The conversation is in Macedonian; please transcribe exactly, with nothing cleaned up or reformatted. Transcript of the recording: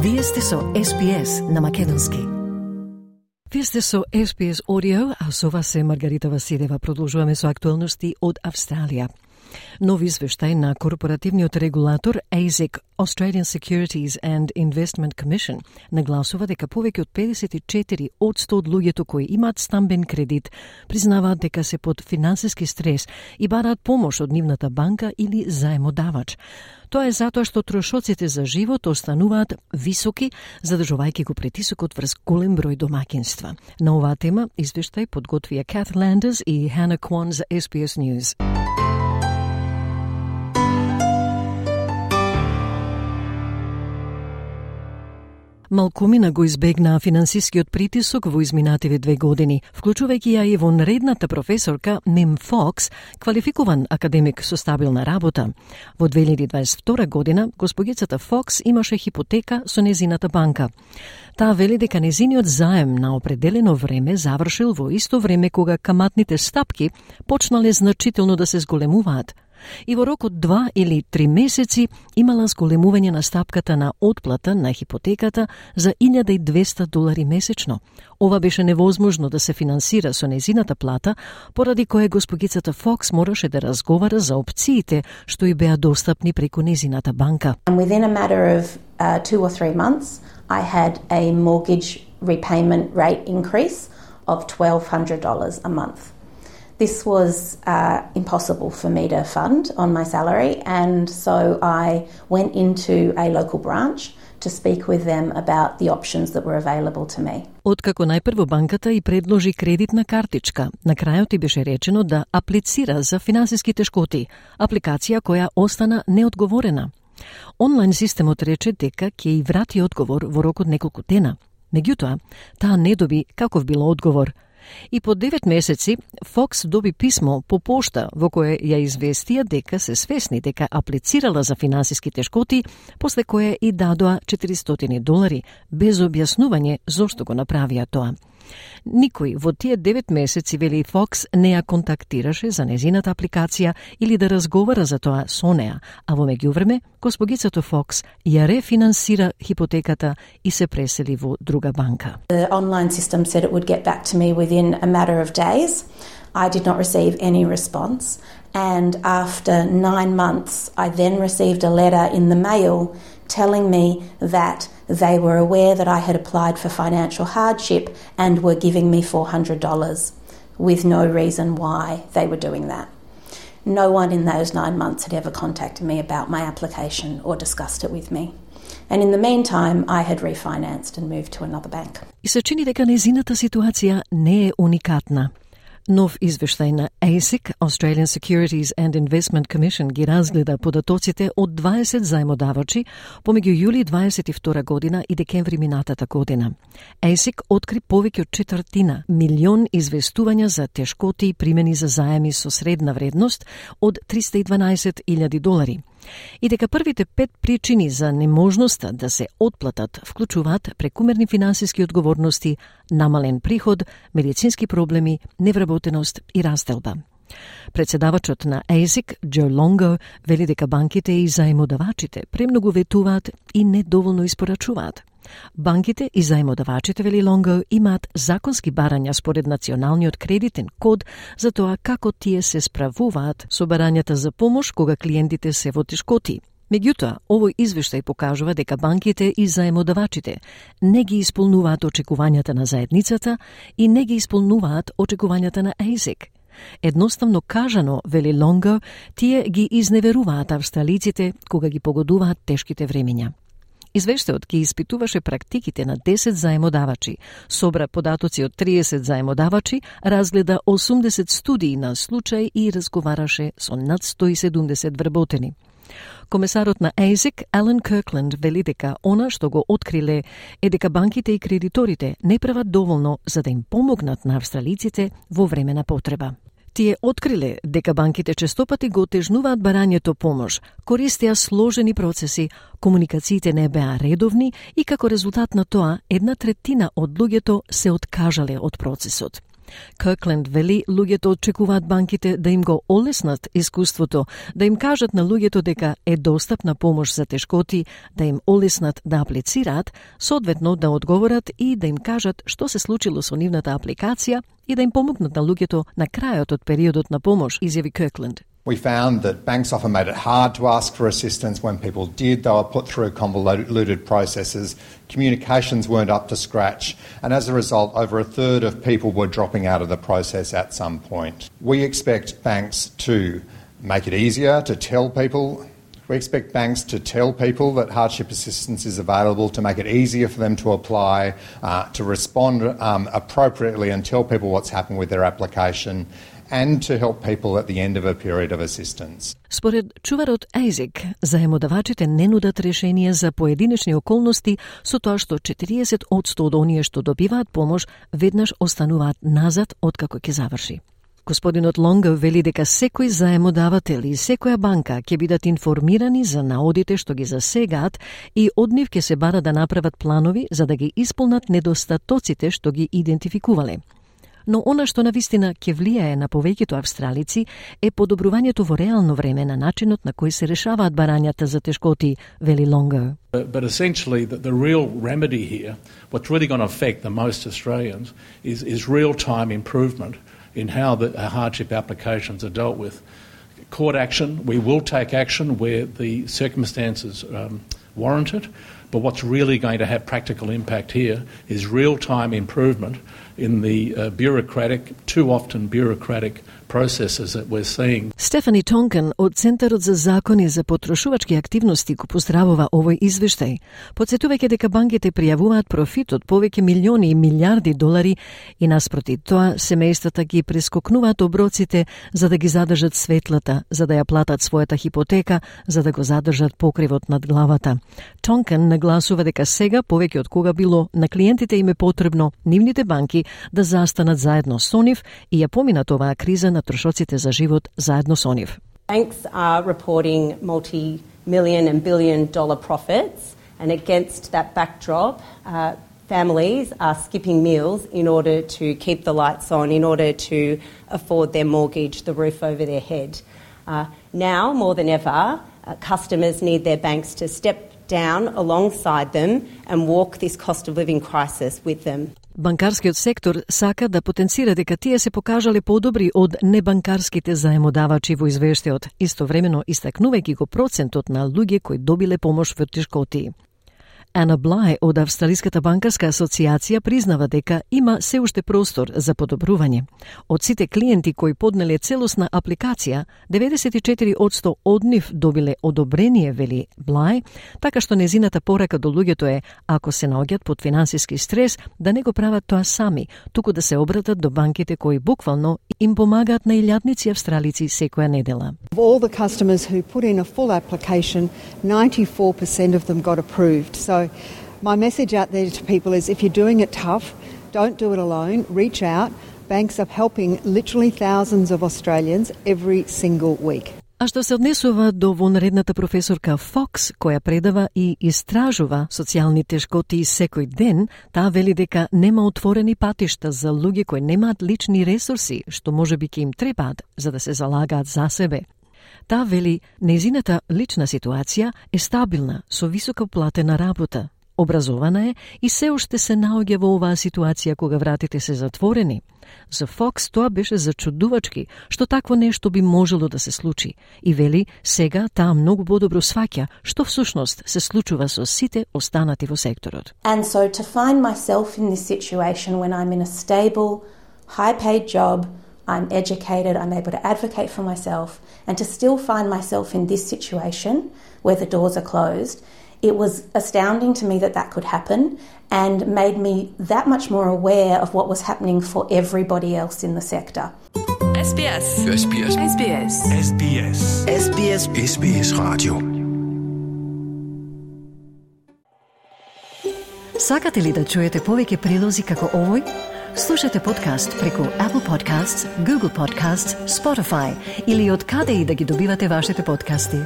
Вие сте со Ес Би Ес на македонски. Вие сте со Ес Би Ес Audio, а со вас е Маргарита Василева. Продолжуваме со актуелности од Австралија. Нов извештај на корпоративниот регулатор А И С И C, Australian Securities and Investment Commission, нагласува дека повеќе од педесет и четири одсто од луѓето кои имаат стамбен кредит признаваат дека се под финансиски стрес и бараат помош од нивната банка или заемодавач. Тоа е затоа што трошоците за живот остануваат високи, задржувајќи го притисокот врз голем број домаќинства. На оваа тема извештај подготвија Kath Landers и Hannah Kwan за Ес Би Ес News. Малкумина го избегнаа финансискиот притисок во изминативе две години, вклучувајќи ја и вонредната професорка Мем Фокс, квалификуван академик со стабилна работа. Во две илјади дваесет и втора година, госпогицата Фокс имаше хипотека со незината банка. Таа вели дека незиниот заем на определено време завршил во исто време кога каматните стапки почнале значително да се зголемуваат. И во рок од два или три месеци имала зголемување на стапката на отплата на хипотеката за илјада и двесте долари месечно. Ова беше невозможно да се финансира со незината плата, поради кое госпогицата Фокс мораше да разговара за опциите што и беа достапни преку незината банка. And within a matter of uh, two or three months, I had a mortgage repayment rate increase of twelve hundred dollars a month. This was uh, impossible for me to fund on my salary, and so I went into a local branch to speak with them about the options that were available to me. Откако најпрво банката и предложи кредитна картичка, на крајот и беше речено да аплицира за финансиски тешкоти, апликација која остана неодговорена. Онлайн системот рече дека ќе и врати одговор во рок од неколку дена. Меѓутоа, таа не доби каков било одговор. И по девет месеци Фокс доби писмо по пошта во кое ја известија дека се свесни дека аплицирала за финансиски тешкоти, после кое и дадоа четиристотини долари, без објаснување зошто го направија тоа. Никој во тие девет месеци, вели Фокс, не ја контактираше за незината апликација или да разговара за тоа со неа, а во меѓувреме, госпогицата Фокс ја рефинансира хипотеката и се пресели во друга банка. The online system said it would get back to me within a matter of days. I did not receive any response, and after nine months, I then received a letter in the mail telling me that they were aware that I had applied for financial hardship and were giving me four hundred dollars with no reason why they were doing that. No one in those nine months had ever contacted me about my application or discussed it with me. And in the meantime, I had refinanced and moved to another bank. И се чини дека незината ситуација не е уникатна. Нов извештај на А И С И C, Australian Securities and Investment Commission, ги разгледа податоците од дваесет заемодавачи помеѓу јули дваесет и втора година и декември минатата година. А И С И C откри повеќе од четвртина милион известувања за тешкоти и примени за заеми со средна вредност од триста и дванаесет илјади долари. И дека првите пет причини за неможноста да се отплатат вклучуваат прекумерни финансиски одговорности, намален приход, медицински проблеми, невработеност и растелба. Председавачот на А И С И C, Джо Лонго, вели дека банките и заемодавачите премногу ветуваат и недоволно испорачуваат. Банките и заемодавачите, вели Лонго, имаат законски барања според националниот кредитен код за тоа како тие се справуваат со барањата за помош кога клиентите се во тешкоти. Меѓутоа, овој извештај покажува дека банките и заемодавачите не ги исполнуваат очекувањата на заедницата и не ги исполнуваат очекувањата на А И С И C. Едноставно кажано, вели Лонго, тие ги изневеруваат австралиците кога ги погодуваат тешките времиња. Извештајот ги испитуваше практиките на десет заемодавачи, собра податоци од триесет заемодавачи, разгледа осумдесет студии на случај и разговараше со над сто и седумдесет вработени. Комесарот на А И С И C, Алан Киркленд, вели дека она што го откриле е дека банките и кредиторите не прават доволно за да им помогнат на австралиците во време на потреба. Тие откриле дека банките честопати го отежнуваат барањето помош, користеа сложени процеси, комуникациите не беа редовни и како резултат на тоа една третина од луѓето се откажале од процесот. Kirkland вели луѓето очекуваат банките да им го олеснат искуството, да им кажат на луѓето дека е достапна помош за тешкоти, да им олеснат да аплицираат, соодветно да одговорат и да им кажат што се случило со нивната апликација и да им помогнат на луѓето на крајот од периодот на помош, изјави Kirkland. We found that banks often made it hard to ask for assistance. When people did, they were put through convoluted processes. Communications weren't up to scratch. And as a result, over a third of people were dropping out of the process at some point. We expect banks to make it easier to tell people. We expect banks to tell people that hardship assistance is available, to make it easier for them to apply, uh, to respond um, appropriately and tell people what's happened with their application, and to help people at the end of a period of assistance. Според чуварот Ејзик, заемодавачите не нудат решенија за поединечни околности, со тоа што четириесет одсто од оние што добиваат помош веднаш остануваат назад откако ќе заврши. Господинот Лонго вели дека секој заемодавател и секоја банка ќе бидат информирани за наодите што ги засегаат и од нив ќе се бара да направат планови за да ги исполнат недостатоците што ги идентификувале. Но она што навистина ќе влијае на повеќето австралици е подобрувањето во реално време на начинот на кој се решаваат барањата за тешкоти, вели Лонго. But, but essentially, the, the real remedy here, what's really going to affect the most Australians, is, is real-time improvement in how the hardship applications are dealt with. Court action, we will take action where the circumstances um, warrant it, but what's really going to have practical impact here is real-time improvement in the uh, bureaucratic, too often bureaucratic processes that we're seeing. Стефани Тонкен од Центарот за закони за потрошувачки активности го поздравува овој извештај, потсетувајќи дека банките пријавуваат профит од повеќе милиони и милиарди долари и наспроти тоа семејствата ги прескокнуваат оброците за да ги задржат светлата, за да ја платат својата хипотека, за да го задржат покривот над главата. Тонкен нагласува дека сега повеќе од кога било на клиентите им е потребно нивните банки да застанат заедно со нив и ја поминат оваа криза на трошоците за живот заедно со нив. Banks are reporting multi-million and billion dollar profits, and against that backdrop, uh, families are skipping meals in order to keep the lights on, in order to afford their mortgage, the roof over their head. Uh, now, more than ever, uh, customers need their banks to step down alongside them and walk this cost of living crisis with them. Банкарскиот сектор сака да потенцира дека тие се покажале подобри од небанкарските заемодавачи во извештајот, истовремено истакнувајќи го процентот на луѓе кои добиле помош во тешкоти. Ана Блај од Австралиската банкарска асоциација признава дека има се уште простор за подобрување. Од сите клиенти кои поднеле целосна апликација, деветдесет и четири одсто од нив добиле одобрение, вели Блај, така што незината порака до луѓето е, ако се наоѓаат под финансиски стрес, да не го прават тоа сами, туку да се обратат до банките кои буквално им помагаат на илјадници австралици секоја недела. Of all the customers who put in a full application, ninety-four percent of them got approved. So my message out there to people is if you're doing it tough, don't do it alone, reach out. Banks are helping literally thousands of Australians every single week. А што се однесува до вонредната професорка Фокс, која предава и истражува социјални тешкоти секој ден, таа вели дека нема отворени патишта за луѓе кои немаат лични ресурси, што можеби ќе им требаат за да се залагаат за себе. Таа вели, незината лична ситуација е стабилна, со високо платена работа. Образована е и се уште се наоѓа во оваа ситуација кога вратите се затворени. За Фокс тоа беше зачудувачки, што такво нешто би можело да се случи. И вели, сега таа многу подобро сваќа што всушност се случува со сите останати во секторот. And so to find myself in this situation when I'm in a stable, high-paid job, I'm educated, I'm able to advocate for myself, and to still find myself in this situation where the doors are closed, it was astounding to me that that could happen and made me that much more aware of what was happening for everybody else in the sector. S B S. S B S. S B S. S B S. S B S. S B S Radio. Сакате ли да чуете повеќе прилози како овој? Слушате подкаст преку Apple Podcasts, Google Podcasts, Spotify или од каде и да ги добивате вашите подкасти.